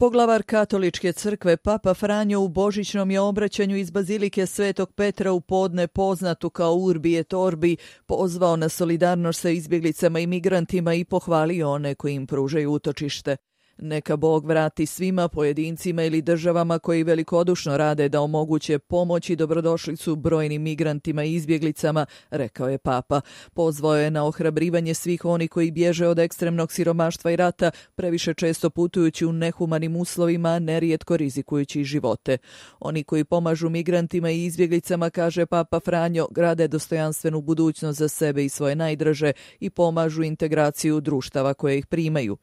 Poglavar katoličke crkve Papa Franjo u božićnom je obraćanju iz Bazilike Svetog Petra u podne poznatu kao Urbi et Orbi pozvao na solidarnost sa izbjeglicama i migrantima i pohvalio one koji im pružaju utočište. Neka Bog vrati svima pojedincima ili državama koji velikodušno rade da omoguće pomoć i dobrodošlicu brojnim migrantima i izbjeglicama, rekao je Papa. Pozvao je na ohrabrivanje svih oni koji bježe od ekstremnog siromaštva i rata, previše često putujući u nehumanim uslovima, nerijetko rizikujući živote. Oni koji pomažu migrantima i izbjeglicama, kaže Papa Franjo, grade dostojanstvenu budućnost za sebe i svoje najdraže i pomažu integraciju društava koje ih primaju.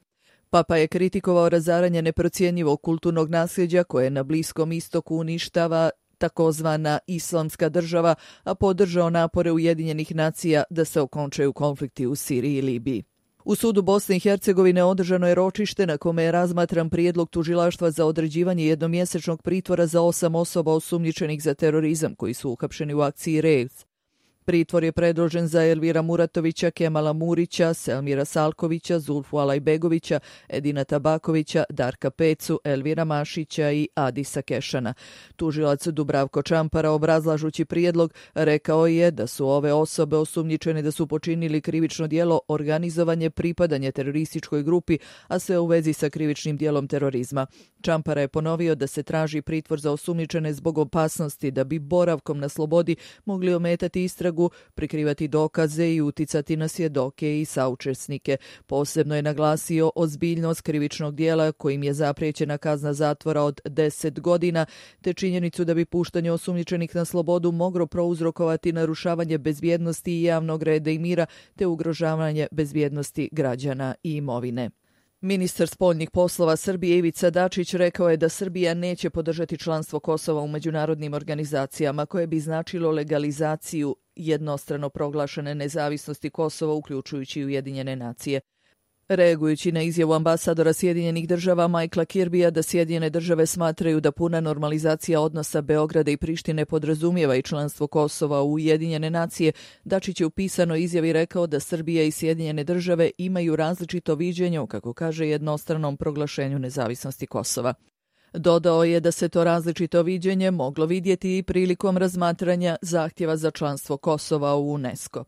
Papa je kritikovao razaranje neprocjenjivog kulturnog nasljeđa koje na Bliskom istoku uništava takozvana islamska država, a podržao napore Ujedinjenih nacija da se okončaju konflikti u Siriji i Libiji. U sudu Bosne i Hercegovine održano je ročište na kome je razmatran prijedlog tužilaštva za određivanje jednomjesečnog pritvora za 8 osoba osumnjičenih za terorizam koji su uhapšeni u akciji Rejs. Pritvor je predložen za Elvira Muratovića, Kemala Murića, Selmira Salkovića, Zulfu Alajbegovića, Edina Tabakovića, Darka Pecu, Elvira Mašića i Adisa Kešana. Tužilac Dubravko Čampara, obrazlažući prijedlog, rekao je da su ove osobe osumnjičene da su počinili krivično djelo organizovanje pripadanje terorističkoj grupi, a sve u vezi sa krivičnim djelom terorizma. Čampara je ponovio da se traži pritvor za osumnjičene zbog opasnosti da bi boravkom na slobodi mogli ometati istragu, prikrivati dokaze i uticati na svjedoke i saučesnike. Posebno je naglasio ozbiljnost krivičnog djela kojim je zapriječena kazna zatvora od 10 godina, te činjenicu da bi puštanje osumnjičenih na slobodu moglo prouzrokovati narušavanje bezbjednosti i javnog reda i mira, te ugrožavanje bezbjednosti građana i imovine. Ministar spoljnih poslova Srbije Ivica Dačić rekao je da Srbija neće podržati članstvo Kosova u međunarodnim organizacijama koje bi značilo legalizaciju jednostrano proglašene nezavisnosti Kosova, uključujući Ujedinjene nacije. Reagujući na izjavu ambasadora Sjedinjenih država Michaela Kirbija da Sjedinjene države smatraju da puna normalizacija odnosa Beograda i Prištine podrazumijeva i članstvo Kosova u Ujedinjene nacije, Dačić je u pisanoj izjavi rekao da Srbija i Sjedinjene države imaju različito viđenje o, kako kaže, jednostranom proglašenju nezavisnosti Kosova. Dodao je da se to različito viđenje moglo vidjeti i prilikom razmatranja zahtjeva za članstvo Kosova u UNESCO.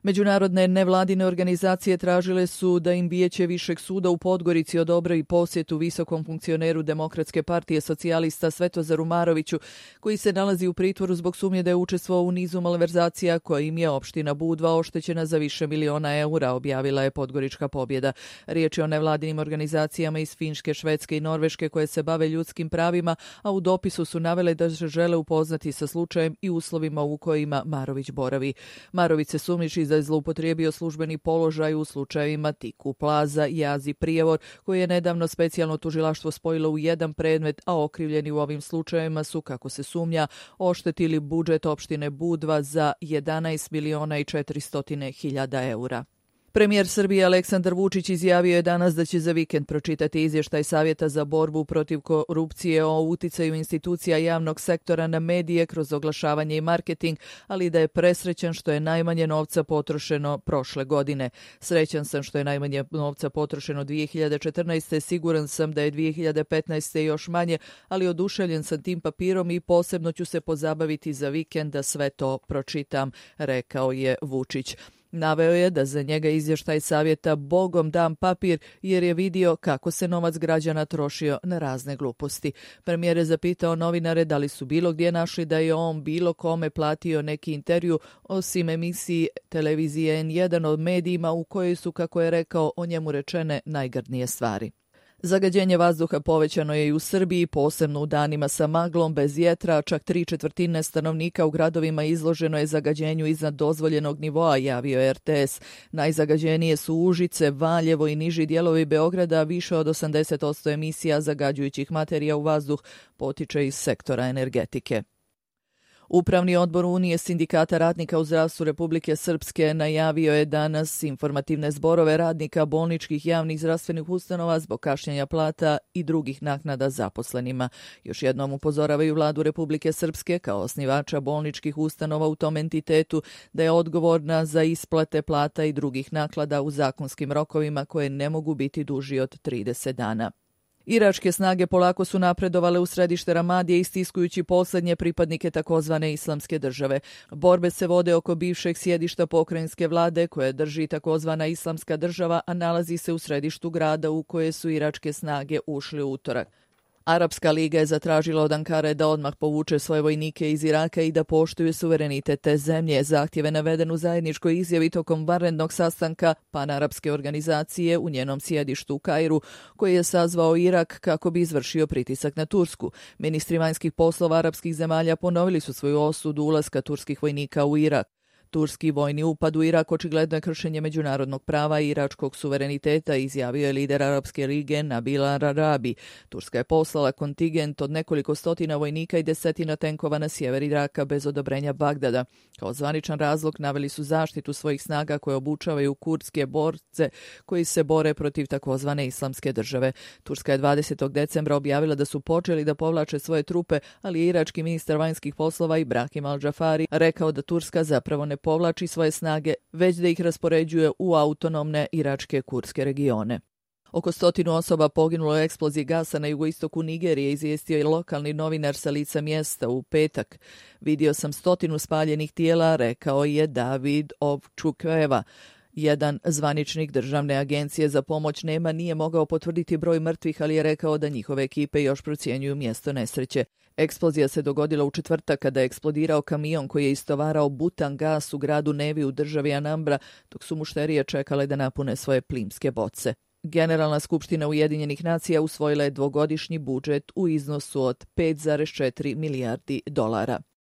Međunarodne nevladine organizacije tražile su da im Vijeće Višeg suda u Podgorici odobri posjetu visokom funkcioneru Demokratske partije socijalista Svetozaru Maroviću, koji se nalazi u pritvoru zbog sumnje da je učestvovao u nizu malverzacija kojim je opština Budva oštećena za više miliona eura, objavila je Podgorička pobjeda. Riječ je o nevladinim organizacijama iz Finjske, Švedske i Norveške koje se bave ljudskim pravima, a u dopisu su navele da se žele upoznati sa slučajem i uslovima u kojima Marović boravi. Marović se sumnjiči da je zloupotrijebio službeni položaj u slučajevima Tiku Plaza, Jaz i Prijevor, koji je nedavno specijalno tužilaštvo spojilo u jedan predmet, a okrivljeni u ovim slučajevima su, kako se sumnja, oštetili budžet opštine Budva za 11 miliona i 400 hiljada eura. Premijer Srbije Aleksandar Vučić izjavio je danas da će za vikend pročitati izvještaj Savjeta za borbu protiv korupcije o uticaju institucija javnog sektora na medije kroz oglašavanje i marketing, ali da je presrećan što je najmanje novca potrošeno prošle godine. Srećan sam što je najmanje novca potrošeno 2014. Siguran sam da je 2015. još manje, ali oduševljen sam tim papirom i posebno ću se pozabaviti za vikend da sve to pročitam, rekao je Vučić. Naveo je da za njega izvještaj savjeta Bogom dan papir jer je vidio kako se novac građana trošio na razne gluposti. Premijer je zapitao novinare da li su bilo gdje našli da je on bilo kome platio neki intervju osim emisiji televizije N1 od medijima u kojoj su, kako je rekao, o njemu rečene najgrdnije stvari. Zagađenje vazduha povećano je i u Srbiji, posebno u danima sa maglom, bez vjetra, čak 3/4 stanovnika u gradovima izloženo je zagađenju iznad dozvoljenog nivoa, javio je RTS. Najzagađenije su Užice, Valjevo i niži dijelovi Beograda, više od 80% emisija zagađujućih materija u vazduh potiče iz sektora energetike. Upravni odbor Unije sindikata radnika u zdravstvu Republike Srpske najavio je danas informativne zborove radnika bolničkih javnih zdravstvenih ustanova zbog kašnjenja plata i drugih naknada zaposlenima. Još jednom upozoravaju vladu Republike Srpske kao osnivača bolničkih ustanova u tom entitetu da je odgovorna za isplate plata i drugih naknada u zakonskim rokovima koje ne mogu biti duži od 30 dana. Iračke snage polako su napredovale u središte Ramadije istiskujući posljednje pripadnike takozvane islamske države. Borbe se vode oko bivšeg sjedišta pokrajinske vlade koje drži takozvana islamska država, a nalazi se u središtu grada u koje su iračke snage ušli u utorak. Arapska liga je zatražila od Ankare da odmah povuče svoje vojnike iz Iraka i da poštuje suverenitet te zemlje. Zahtjev je naveden u zajedničkoj izjavi tokom vanrednog sastanka panarapske organizacije u njenom sjedištu u Kairu, koji je sazvao Irak kako bi izvršio pritisak na Tursku. Ministri vanjskih poslova arapskih zemalja ponovili su svoju osudu ulaska turskih vojnika u Irak. Turski vojni upad u Irak očigledno je kršenje međunarodnog prava i iračkog suvereniteta, izjavio je lider Arapske lige Nabil al-Arabi. Turska je poslala kontingent od nekoliko stotina vojnika i desetina tenkova na sjever Iraka bez odobrenja Bagdada. Kao zvaničan razlog naveli su zaštitu svojih snaga koje obučavaju kurdske borce koji se bore protiv takozvane islamske države. Turska je 20. decembra objavila da su počeli da povlače svoje trupe, ali je irački ministar vanjskih poslova Ibrahim al-Džafari rekao da Turska zapravo ne povlači svoje snage, već da ih raspoređuje u autonomne iračke kurdske regione. Oko 100 osoba poginulo u eksploziji gasa na jugoistoku Nigerije, izvijestio je lokalni novinar sa lica mjesta u petak. Vidio sam 100 spaljenih tijela, rekao je David Ovčukeva. Jedan zvaničnik državne agencije za pomoć nema nije mogao potvrditi broj mrtvih, ali je rekao da njihove ekipe još procjenjuju mjesto nesreće. Eksplozija se dogodila u četvrtak kada je eksplodirao kamion koji je istovarao butan gas u gradu Nevi u državi Anambra, dok su mušterije čekale da napune svoje plimske boce. Generalna skupština Ujedinjenih nacija usvojila je dvogodišnji budžet u iznosu od $5,4 milijardi.